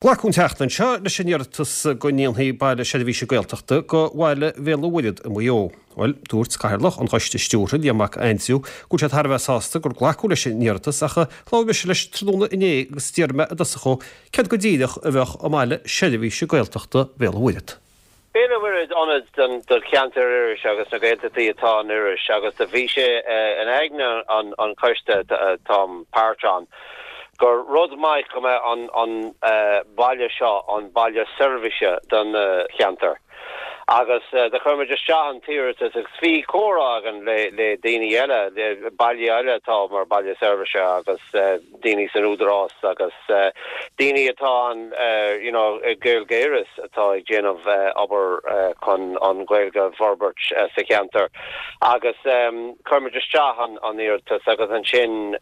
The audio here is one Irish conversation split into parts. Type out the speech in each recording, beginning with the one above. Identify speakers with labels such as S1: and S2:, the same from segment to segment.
S1: Glacadh an tseachtain seo leis an iarratas go ndéanfaí baile seirbhíse Gaeltachta go bhaile Bhéal an Mhuirthead i Maigh Eo. Bhuel, dúirt Cathaoirleach an Choiste Stiúrtha, Liam Mac Aindriú, go bhfuil sé thar a bheith sásta gur glacadh leis an iarratas ach labhair mise leis tráthnóna inné agus d'iarr mé i dtosach dhó céard go díreach a bheadh i mbaile seirbhíse Gaeltachta Bhéal an Mhuirthead.
S2: Béal an Mhuirthead ionad don cheantar Iorrais agus na Gaeltachtaí atá in Iorras agus do bhí sé in aigne an choiste táim páirt ann gur rud maith go mbeadh an baile seo an baile seirbhíse don cheantar agus do chuir muid isteach an t-iarratas agus bhí comhrá againn le daoine eile, baile eile atá mar baile seirbhíse agus. daoine san Údarás agus daoine atá an you know Gaeilge Iorrais atá ag déanamh obair chun an Ghaeilge a bhforbairt sa cheantar agus chuir muid isteach an an iarratas agus ansin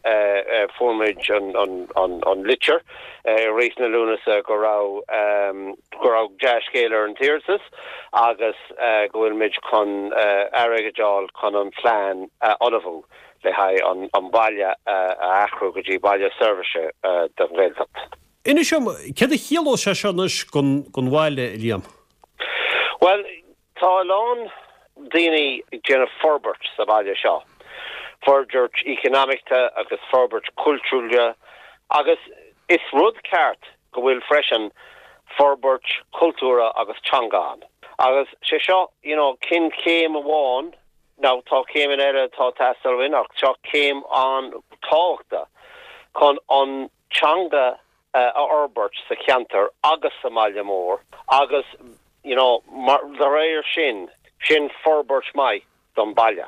S2: fuair muid an an an litir i rith na Lúnasa go raibh go raibh dea-scéal ar an t-iarratas agus go bhfuil muid chun airgead a fháil chun an plean a ullmhú. le haghaidh an baile a athrú go dtí baile seirbhíse don Ghaeltacht.
S1: Inis dom, céard a chiallós sé seo anois don bhaile, a Liam?
S2: Bhuel, tá a lán daoine ag déanamh forbairt sa bhaile seo, forbairt economicta agus forbairt cultúrtha agus is rud ceart go bhfuil freisin forbairt cultúrtha agus teanga ann. Agus sé seo, you know, cinn céim amháin Now tá céimeanna eile atá ag teastáil uainn ach seo céim an-tábhachtach chun an teanga a fhorbairt sa cheantar agus sa mbaile mór agus you know mar de réir sin, sin forbairt maith don baile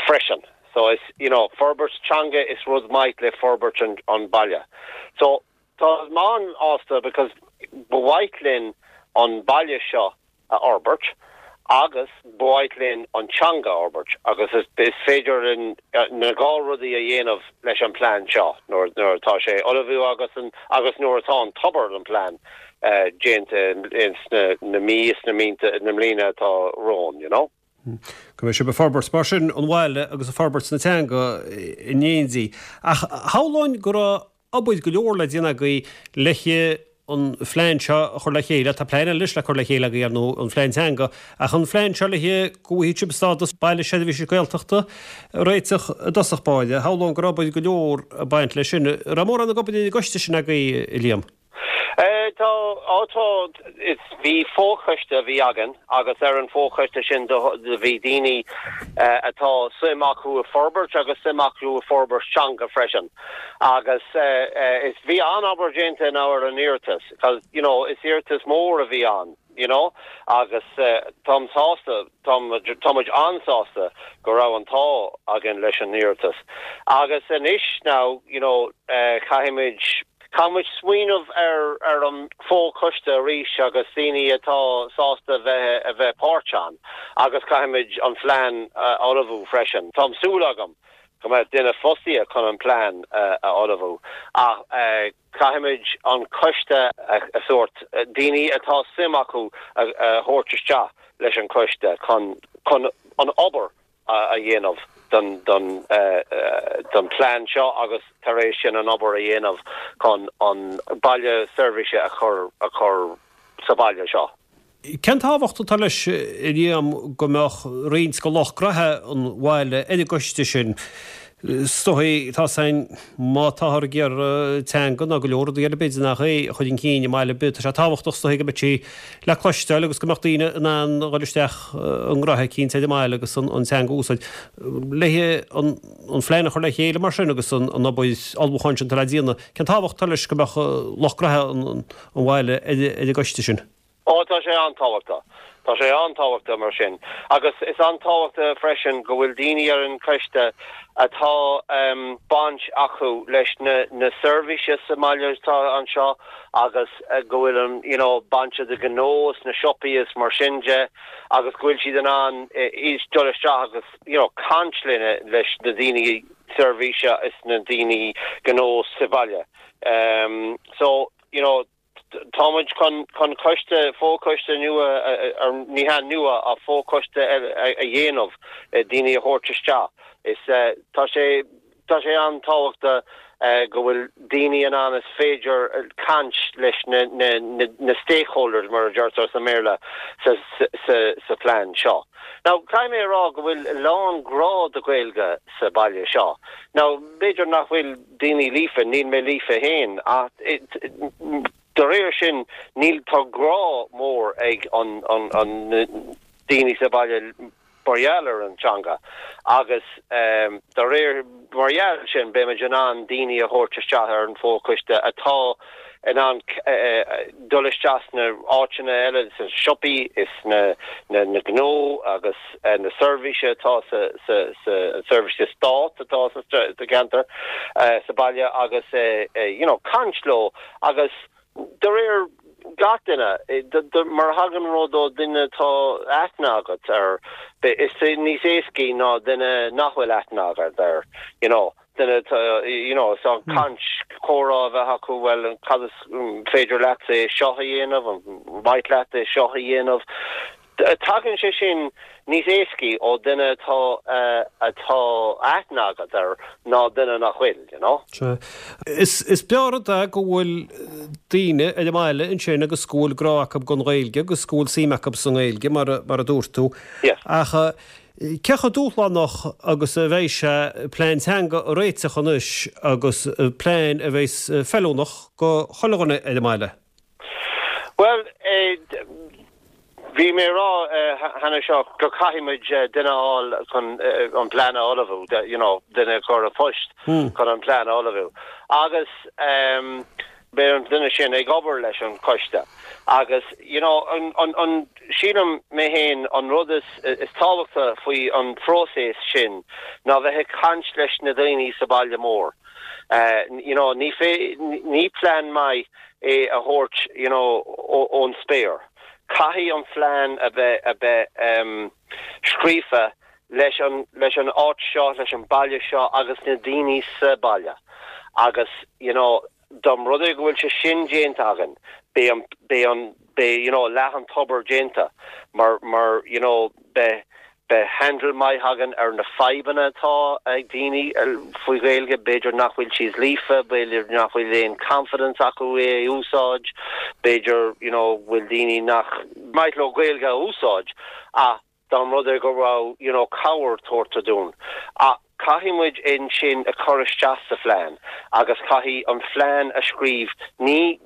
S2: freisin. So is you know forbairt teanga is rud maith le forbairt an an baile. So tá mé an-sásta because ba mhaith linn an baile seo a fhorbairt agus ba mhaith linn an teanga a fhorbairt agus is féidir linn na dhá rudaí a dhéanamh leis an plean seo nuair nuair atá sé ullmhú agus an agus nuair atá an tobar don plean déanta ins na na mí is na míonta na mbliana atá romhainn, you know.
S1: Go mbeidh sibh ag forbairt mar sin an bhaile agus ag forbairt na teanga in éindí. Ach shamhlóinn go raibh obair go leor le déanamh agaibh le an phlean seo a chur le chéile. Tá plean eile anois le cur le chéile agaibh, ar ndóigh, an phlean teanga, ach an phlean seo le go bhfaighidh sibh stádas baile seirbhíse Gaeltachta a réiteach i dtosach báire. Shamhlóinn go raibh obair go leor ag baint leis sin. Raibh mórán ag obair ar an gcoiste sin agaibh, a Liam?
S2: Tá, á tá, is bhí fochoiste a bhí againn agus ar an fochoiste sin do bhí daoine atá suim acu i forbairt agus suim acu i forbairt teanga freisin agus is bhí an-obair déanta now ar an iarratas 'cause you know is iarratas mór a bhí ann. you know agus táim sásta, tá muid an-sásta go raibh an t-ádh againn leis an iarratas. Agus anois now, you know, caithfimid, caithfimid smaoineamh ar, ar an fho-choiste arís agus daoine atá sásta bheith, a bheith páirt ann agus caithfimid an phlean a ullmhú freisin. Tá súil agam go mbeidh duine fostaithe chun an plean a ullmhú ach, Caithfimid an coiste a sórt, daoine atá suim acu a thabhairt isteach leis an choiste chun chun an obair a dhéanamh don don don plean seo agus tar éis sin an obair a dhéanamh chun an baile seirbhíse a chur a chur sa bhaile seo.
S1: Cén tábhacht atá leis, a Liam, go mbeadh roinnt de lucht gnaithe an bhaile ar an gcoiste sin? Is dóigh, tá 's againn, má táthar ag iarraidh teanga ná go leor rudaí eile b'fhéidir nach é a chur chun cinn i mbaile ar bith, tá sé tábhachtach is dóigh go mbeadh sí le cloisteáil agus go mbeadh daoine in ann a dhul isteach i ngraithe eicínt ar an mbaile agus an teanga a úsáid. Le an phlean a chur le chéile mar sin agus an obair ullmhúcháin sin atá le déanamh, cén tábhacht atá leis go mbeadh lucht gnaithe an bhaile ar an gcoiste sin?
S2: Ó, tá sé an-tábhachtach. Tá sé an-tábhachtach mar sin. Agus is an-tábhachtach freisin go bhfuil daoine ar an choiste atá baint acu leis na na seirbhíse sa mbaile atá anseo agus go bhfuil an you know baint de ghnó is na siopaí is mar sin de agus go bhfuil siad in ann dul isteach agus you know caint lena leis na daoine seirbhíse is na daoine gnó sa bhaile. So, you know, Tá muid chun chun coiste, fochoiste nua, ní hea nua ach fochoiste a dhéanamh, daoine a thabhairt isteach. Is tá sé. Tá sé an-tábhachtach go bhfuil daoine in ann is féidir caint leis na stakeholders, mar a deirtear sa mBéarla, sa phlean seo. Now, caithfidh mé a rá go bhfuil a lán grá do Ghaeilge sa baile seo. Now, b'fhéidir nach bhfuil daoine líofa, níl mé líofa féin, ach de réir sin, níl, tá grá mór ag an daoine sa baile mar gheall ar an teanga agus de réir mar gheall sin beimid in ann daoine a thabhairt isteach ar an fho-choiste atá in ann dul isteach sna áiteanna eile, sna siopaí is na gnó agus na seirbhíse atá sa seirbhíse stát atá sa cheantar sa baile agus you know caint leo agus De réir gach duine, mar a thagann rud ó duine atá aithne agat air, is níos éascaí ná duine nach bhfuil aithne agat air, you know, duine atá, you know, so caint, comhrá a bheith acu, bhuel, cad is féidir leatsa é seo a dhéanamh, an mhaith leat é seo a dhéanamh? Tagann sé sin níos éascaí ó duine atá atá aithne agat air ná duine nach bhfuil, you know.
S1: Sea. Is breá rud é go bhfuil daoine ar an mbaile ansin agus go bhfuil grá acu don Ghaeilge agus go bhfuil suim acu sa nGaeilge, mar a dúirt tú.
S2: Yes.
S1: Ach cé chomh dúshlánach agus a bheidh sé plean teanga a réiteach anois agus plean a bheas feiliúnach go chuile dhuine ar an mbaile?
S2: Bhuel, bhí mé ag rá cheana seo go caithfidh muid duine a fháil chun an plean a ullmhú, you know, duine a chur i bpost chun an plean a ullmhú. Agus beidh an duine sin ag obair leis an choiste. Agus, you know, an, an, an, sílim mé féin an rud is, is tábhachta faoi an phróiseas sin ná bheith ag caint leis na daoine sa baile mór. You know, ní fé, ní plean maith é a thabhairt you know ón spéir. Caithfidh an phlean a bheith a bheith scríofa leis an leis an áit seo, leis an baile seo agus na daoine sa baile agus you know dá mba rud é go bhfuil sé sin déanta againn beidh an beidh an beidh you know leath an tobair déanta mar mar you know beidh Beidh handle maith againn ar na fadhbanna atá ag daoine faoi Ghaeilge, b'fhéidir nach bhfuil siad líofa, b'fhéidir nach bhfuil aon confidence acu é a úsáid, b'fhéidir you know bhfuil daoine nach maith leo Gaeilge a úsáid ach dá mba rud é go raibh you know cabhair tabhartha dúinn. Ach caithfidh muid é sin a chur isteach sa phlean agus caithfidh an phlean a scríobh, ní,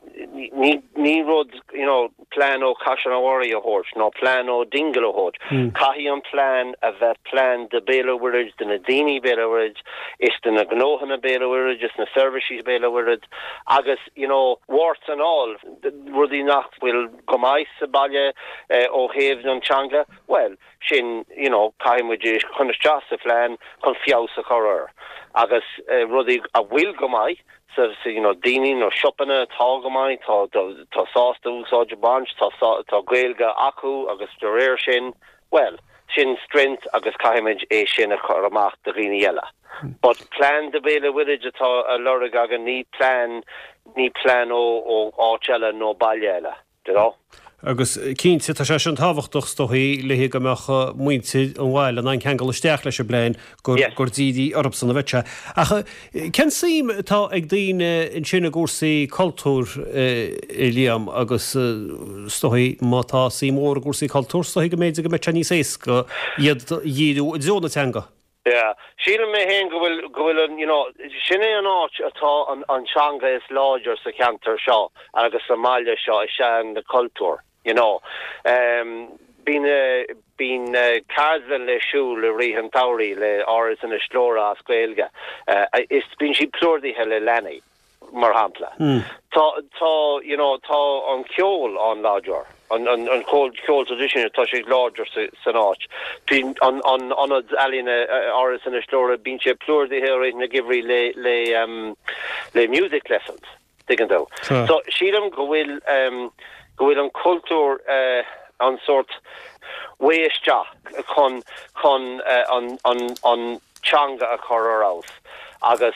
S2: ní, ní rud, you know, plean ó Caiseal an Bharraigh a thabhairt nó plean ó Dingle a thabhairt. Caithfidh an plean a bheith plean de Béal an Mhuirthead, de na daoine Béal an Mhuirthead, is de na gnóthanna Béal an Mhuirthead, is na seirbhísí Béal an Mhuirthead agus, you know, warts and all, rudaí nach bhfuil go maith sa baile ó thaobh an teanga, bhuel, sin, you know, caithfidh muid é chur isteach sa phlean chun feabhas a chur air agus rudaí a bhfuil go maith sa, sa, you know, daoine nó siopanna atá go maith, tá, tá sásta úsáid a bhaint, tá, tá Gaeilge acu agus de réir sin, bhuel, sin strength agus caithfidh muid é sin a chur amach do dhaoine eile. But plean do Bhéal an Mhuirthead atá á lorg againn, ní plean, ní plean ó, ó áit eile nó baile eile. You know?
S1: Agus cinnte, tá sé sin tábhachtach is dóichí le go mbeadh muintir an bhaile in ann ceangal isteach leis an bplean gur gur dírithe orthusan a bheadh sé. Ach cén suim atá ag daoine ansin i gcúrsaí cultúir, a Liam, agus is dóichí má tá suim mhór i gcúrsaí cultúir, is dóichí go mb'fhéidir go mbeadh sé níos éasca iad a dhíriú i dtreo na teanga.
S2: Yeah. Sílim mé féin go bhfuil, go bhfuil an, you know, sin é an áit atá an, an teanga is láidir sa cheantar seo agus sa mbaile seo is ea an cultúr, you know. Um, bíonn, bíonn ceardlann le siúl i rith an tsamhraidh le Áras Inis Gluaire as Gaeilge. Uh, is bíonn siad plódaithe le leanaí. mar shampla. Tá, tá, you know, tá an ceol an-láidir, an, an, an ceol, ceol traidisiúnta, tá sé láidir sa, san áit. Bíonn an, an ionad ealaíne Áras Inis Gluaire, bíonn sé plódaithe i rith na geimhridh le, le, um, le music lessons, tuigeann tú. So, sílim go bhfuil, um, go bhfuil an cultúr, uh, an sórt way isteach chun, chun, uh, an, an, an, teanga a chur ar fheabhas agus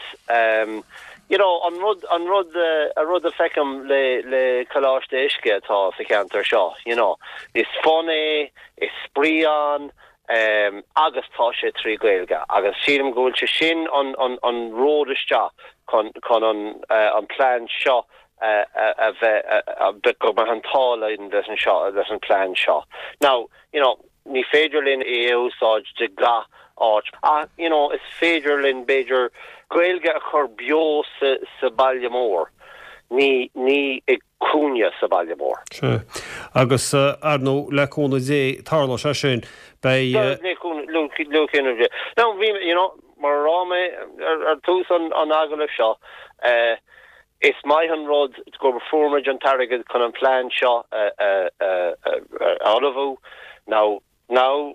S2: you know an rud an rud a rud a feicim le le Coláiste Uisce atá sa cheantar seo you know is fun é is spraoi ann. Agus tá sé trí Ghaeilge agus sílim go bhfuil sé sin an an ród isteach chun chun an an plean seo a bheith go mbeadh an t-ádh linn leis an seo leis an plean seo. Now, you know, ní féidir linn é a úsáid de gach áit ach, you know, is féidir linn b'fhéidir Gaeilge a chur beo sa sa baile mór, ní ní i cúinne sa baile mór.
S1: Sea. Agus, ar ndóigh, le cúnamh Dé, tarlóidh sé sin. Beidh.
S2: Le cúnamh Dé. Now, bhí, you know, mar a rá mé ar tús an agallaimh seo, is maith an rud go fuair muid an t-airgead chun an plean seo a ullmhú. Now, Now,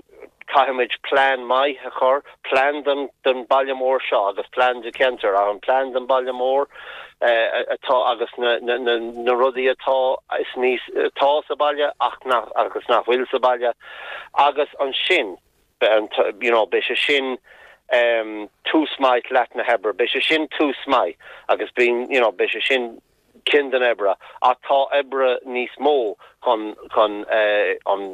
S2: caithfimid plean maith a chur, plean don don baile mór seo agus plean do cheantar ach an plean don baile mór atá agus na na na na rudaí atá is níos atá sa baile ach nach agus nach bhfuil sa baile agus ansin you know beidh sé sin tús maith leath na hoibre, beidh sé sin tús maith agus bíonn you know beidh sé sin ceann den oibre ach tá oibre níos mó chun chun an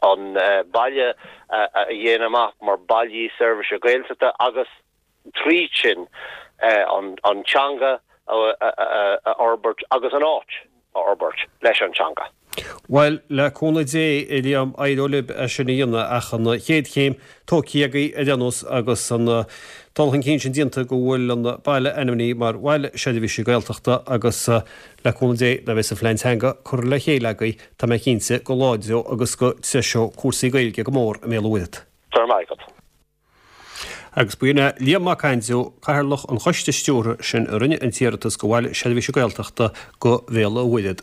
S2: an baile a dhéanamh amach mar baile seirbhíse Gaeltachta agus tríd sin an an teanga a fhorbairt agus an áit a fhorbairt leis an teanga.
S1: Bhuel, le cúnamh Dé, a Liam, éireoidh libh é sin a dhéanamh ach an chéad chéim tógtha agaibh ar aon nós agus an dul chun cinn sin déanta go bhfuil an baile ainmnithe mar Bhaile Seirbhíse Gaeltachta agus le cúnamh Dé nuair a bheas an phlean teanga curtha le chéile agaibh tá mé cinnte go láidreoidh agus go dtreiseoidh cúrsaí Gaeilge go mór i mBéal an Mhuirthead.
S2: Go raibh maith agat.
S1: Agus b'in é Liam Mac Aindriú, Cathaoirleach an Choiste Stiúrtha sin a rinne an t-iarratas go Bhaile Seirbhíse Gaeltachta go Bhéal an Mhuirthead.